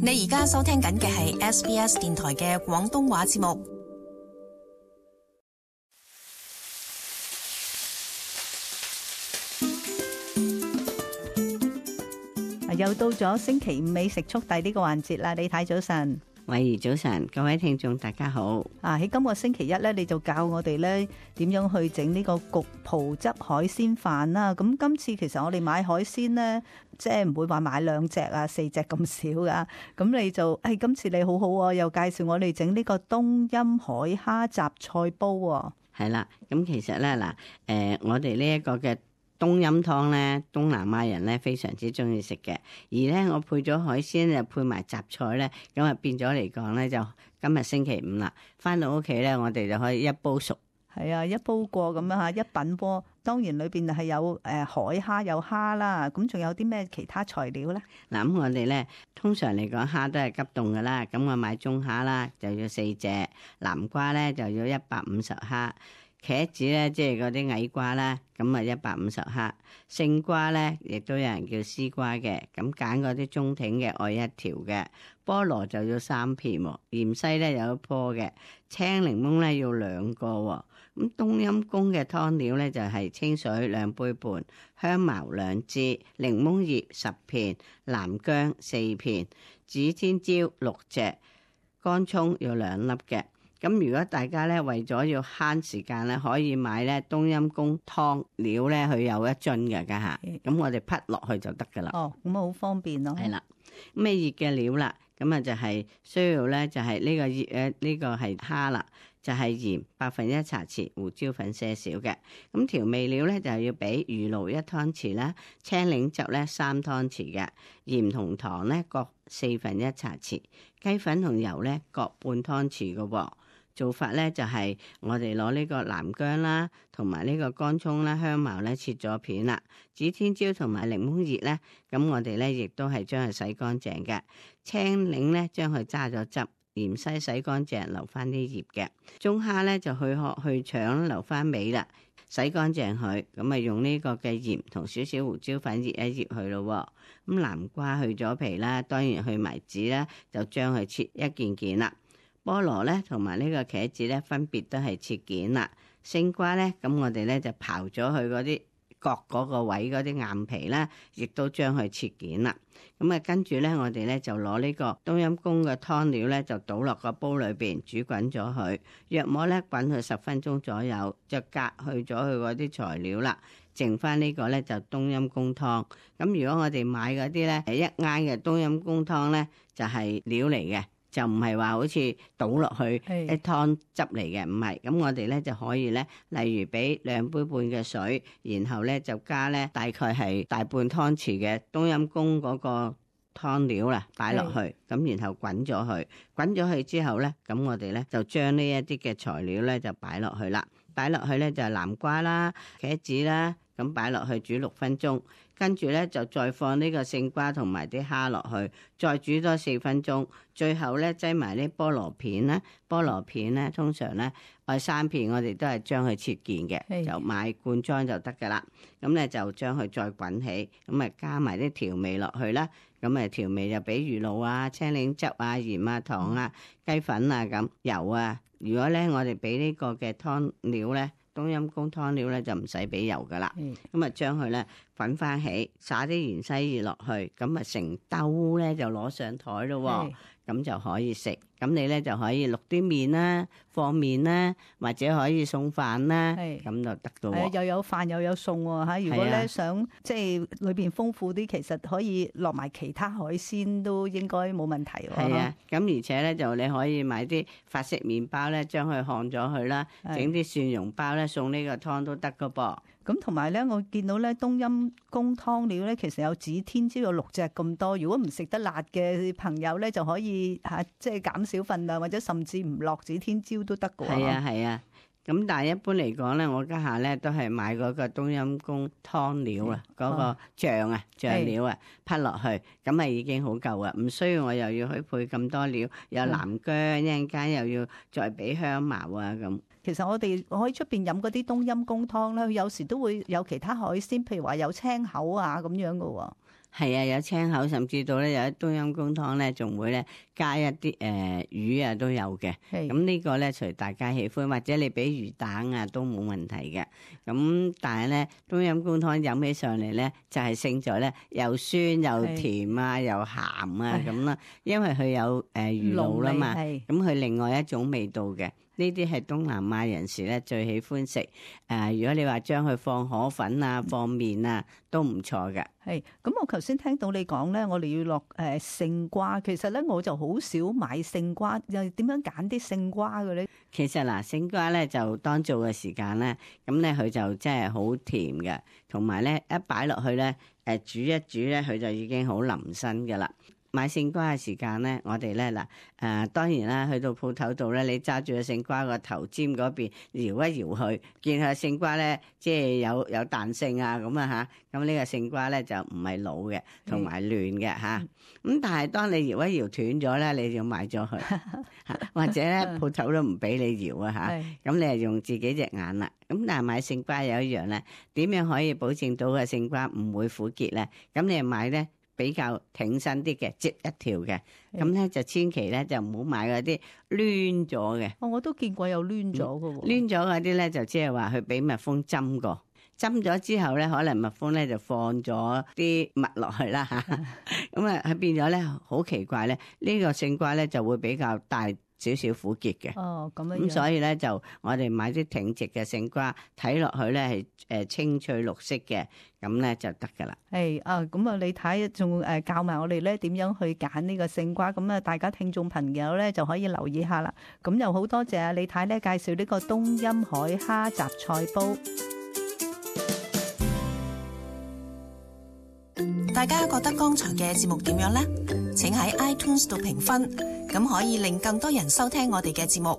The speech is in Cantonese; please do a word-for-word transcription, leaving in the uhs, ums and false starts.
你而家收聽緊嘅係 S B S 電台嘅廣東話節目。又到咗星期五美食速遞呢個環節啦，李太早晨。慧怡早晨，各位聽眾大家好。啊，喺今個星期一咧，你就教我哋咧點樣去整呢個焗葡汁海鮮飯啦。咁今次其實我哋買海鮮咧，即係唔會話買兩隻啊、四隻咁少噶。咁你就，誒、哎，今次你好好啊，又介紹我哋整呢個冬陰海蝦雜菜煲。係啦，咁其實咧嗱，誒、呃，我哋呢一個嘅冬陰湯咧，東南亞人咧非常之中意食嘅，而咧我配咗海鮮就配埋雜菜咧，咁啊變咗嚟講咧就今日星期五啦，翻到屋企咧我哋就可以一煲熟。係啊，一煲過咁樣吓，一品鍋，當然裏邊係有誒海蝦有蝦啦，咁仲有啲咩其他材料咧？嗱，咁我哋咧通常嚟講蝦都係急凍噶啦，咁我買中蝦啦就要四隻，南瓜咧就要一百五十克。茄子咧，即係嗰啲矮瓜啦，咁啊一百五十克。勝瓜咧，亦都有人叫絲瓜嘅，咁揀嗰啲中挺嘅，愛一條嘅。菠蘿就要三片，芫茜咧有一棵嘅，青檸檬咧要兩個。咁冬陰功嘅湯料咧就係清水兩杯半，香茅兩支，檸檬葉十片，南薑四片，指天椒六隻，乾葱要兩粒嘅。咁如果大家咧為咗要慳時間咧，可以買咧冬陰功湯料咧，佢有一樽嘅家下，咁我哋滗落去就得噶啦。哦，咁啊好方便咯。係啦，咩熱嘅料啦？咁啊就係需要咧，就係呢個熱誒呢個係蝦啦，就係鹽百分一茶匙，胡椒粉些少嘅。咁調味料咧就係要俾魚露一湯匙啦，青檸汁咧三湯匙嘅，鹽同糖咧各四分一茶匙，雞粉同油咧各半湯匙嘅喎。做法咧就係我哋攞呢個南薑啦，同埋呢個乾葱啦、香茅咧切咗片啦，指天椒同埋檸檬葉咧，咁我哋咧亦都係將佢洗乾淨嘅，青檸咧將佢揸咗汁，芫茜洗乾淨留翻啲葉嘅，中蝦咧就去殼去腸留翻尾啦，洗乾淨佢，咁啊用呢個嘅鹽同少少胡椒粉醃一醃佢咯。咁南瓜去咗皮啦，當然去埋籽啦，就將佢切一件件啦。菠蘿咧同埋呢個茄子咧分別都係切件啦，勝瓜咧咁我哋咧就刨咗佢嗰啲角嗰個位嗰啲硬皮啦，亦都將佢切件啦。咁啊跟住咧我哋咧就攞呢個冬陰功嘅湯料咧就倒落個煲裏邊煮滾咗佢，約莫咧滾佢十分鐘左右，就隔去咗佢嗰啲材料啦，剩翻呢個咧就冬陰功湯。咁如果我哋買嗰啲咧一啱嘅冬陰功湯咧就係料嚟嘅。就唔係話好似倒落去一湯汁嚟嘅，唔係。咁我哋咧就可以咧，例如俾兩杯半嘅水，然後咧就加咧大概係大半湯匙嘅冬陰功嗰個湯料啦，擺落去，咁然後滾咗佢，滾咗佢之後咧，咁我哋咧就將呢一啲嘅材料咧就擺落去啦，擺落去咧就係南瓜啦、茄子啦。咁擺落去煮六分鐘，跟住咧就再放呢個勝瓜同埋啲蝦落去，再煮多四分鐘，最後咧擠埋啲菠蘿片啦。菠蘿片咧通常咧愛三片，我哋都係將佢切件嘅，就買罐裝就得噶啦。咁咧就將佢再滾起，咁啊加埋啲調味落去啦。咁啊調味就俾魚露啊、青檸汁啊、鹽啊、糖啊、雞粉啊咁油啊。如果咧我哋俾呢個嘅湯料咧。冬陰功湯料咧就唔使俾油噶啦，咁啊將佢咧滾翻起，灑啲芫茜葉落去，咁啊成兜咧就攞上台咯，咁就可以食。咁你咧就可以淥啲麵啦、放麵啦，或者可以送飯啦，咁就得咯。係又有飯又有餸喎嚇！如果咧想即係裏邊豐富啲，其實可以落埋其他海鮮都應該冇問題喎。係啊，咁而且咧就你可以買啲法式麵包咧，將佢烘咗佢啦，整啲蒜蓉包咧送呢個湯都得噶噃。咁同埋咧，我見到咧冬陰功湯料咧，其實有指天椒有六隻咁多。如果唔食得辣嘅朋友咧，就可以嚇即係減少份量，或者甚至唔落指天椒都得㗎喎。係啊，係啊。咁但係一般嚟講咧，我家下咧都係買嗰個冬陰功湯料啊，嗰個醬啊醬料啊，滗落去，咁啊已經好夠啊，唔需要我又要去配咁多料，有南薑，一陣間又要再俾香茅啊咁。其實我哋可以出邊飲嗰啲冬陰功湯咧，有時都會有其他海鮮，譬如話有青口啊咁樣噶喎。係啊，有青口，甚至到咧有啲冬陰功湯咧，仲會咧加一啲誒、呃、魚啊都有嘅。咁呢個咧隨大家喜歡，或者你俾魚蛋啊都冇問題嘅。咁但係咧冬陰功湯飲起上嚟咧，就係勝在咧又酸又甜啊，又鹹啊咁啦，因為佢有誒、呃、魚露啦嘛，咁佢另外一種味道嘅。呢啲係東南亞人士咧最喜歡食，誒、呃，如果你話將佢放河粉啊、放麵啊，都唔錯嘅。係，咁我頭先聽到你講咧，我哋要落誒勝瓜，其實咧我就好少買勝瓜，又點樣揀啲勝瓜嘅咧？其實嗱，勝瓜咧就當做嘅時間咧，咁咧佢就真係好甜嘅，同埋咧一擺落去咧，誒煮一煮咧，佢就已經好腍身㗎啦。買勝瓜嘅時間咧，我哋咧嗱誒當然啦，去到鋪頭度咧，你揸住個勝瓜個頭尖嗰邊搖一搖佢，見下勝瓜咧即係有有彈性啊咁啊嚇，咁呢個勝瓜咧就唔係老嘅，同埋嫩嘅嚇。咁但係當你搖一搖斷咗咧，你就要買咗佢，或者咧鋪頭都唔俾你搖啊嚇。咁你係用自己隻眼啦。咁但係買勝瓜有一樣咧，點樣可以保證到個勝瓜唔會苦結咧？咁你買咧比較挺身啲嘅，折一條嘅，咁咧就千祈咧就唔好買嗰啲攣咗嘅。哦，我都見過有攣咗嘅喎。攣咗嗰啲咧就即係話佢俾蜜蜂針過，針咗之後咧，可能蜜蜂咧就放咗啲蜜落去啦嚇。咁啊，佢變咗咧好奇怪咧，呢個勝瓜咧就會比較大少少苦澀嘅。哦，咁樣。咁所以咧就我哋買啲挺直嘅勝瓜，睇落去咧係誒青翠綠色嘅，咁咧就得噶啦。係啊，咁啊，你睇仲誒教埋我哋咧點樣去揀呢個勝瓜，咁啊大家聽眾朋友咧就可以留意下啦。咁又好多謝啊李太咧介紹呢個冬陰海蝦雜菜煲。大家覺得剛才嘅節目點樣呢？請喺 iTunes 度評分，咁可以令更多人收聽我哋嘅節目。